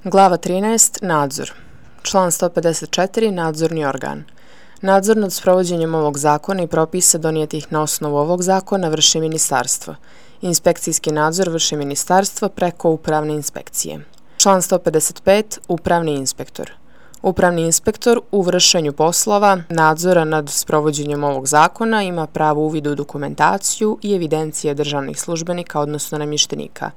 Glava 13. Nadzor. Član 154. Nadzorni organ. Nadzor nad sprovođenjem ovog zakona i propisa donijetih na osnovu ovog zakona vrši ministarstvo. Inspekcijski nadzor vrši ministarstvo preko upravne inspekcije. Član 155. Upravni inspektor. Upravni inspektor u vršenju poslova nadzora nad sprovođenjem ovog zakona ima pravo uvida u dokumentaciju i evidencije državnih službenika, odnosno namještenika.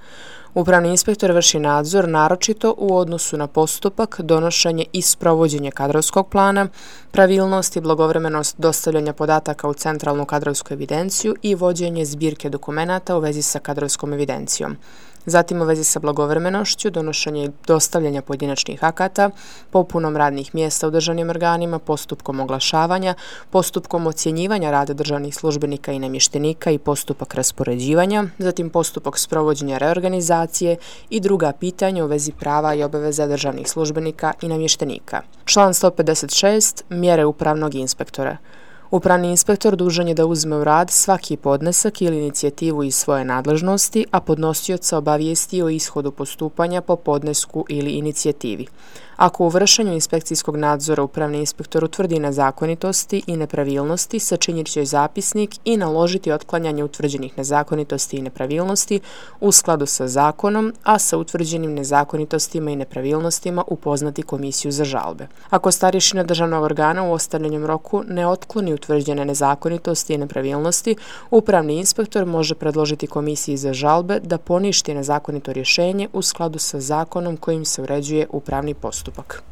Upravni inspektor vrši nadzor naročito u odnosu na postupak, donošenje i sprovođenje kadrovskog plana, pravilnost i blagovremenost dostavljanja podataka u centralnu kadrovsku evidenciju i vođenje zbirke dokumenata u vezi sa kadrovskom evidencijom. Zatim u vezi sa blagovremenošću, donošenje i dostavljanja pojedinačnih akata, popunom radnih mjesta u državnim organima, postupkom oglašavanja, postupkom ocjenjivanja rada državnih službenika i namještenika i postupak raspoređivanja, zatim postupak sprovođenja reorganizacije i druga pitanja u vezi prava i obaveza državnih službenika i namještenika. Član 156. Mjere upravnog inspektora. Upravni inspektor dužan je da uzme u rad svaki podnesak ili inicijativu iz svoje nadležnosti, a podnosioca obavijesti o ishodu postupanja po podnesku ili inicijativi. Ako u vršenju inspekcijskog nadzora upravni inspektor utvrdi nezakonitosti i nepravilnosti, sačinit će zapisnik i naložiti otklanjanje utvrđenih nezakonitosti i nepravilnosti u skladu sa zakonom, a sa utvrđenim nezakonitostima i nepravilnostima upoznati komisiju za žalbe. Ako starješina državnog organa u ostavljenom roku ne otkloni utvrđene nezakonitosti i nepravilnosti, upravni inspektor može predložiti komisiji za žalbe da poništi nezakonito rješenje u skladu sa zakonom kojim se uređuje upravni postupak.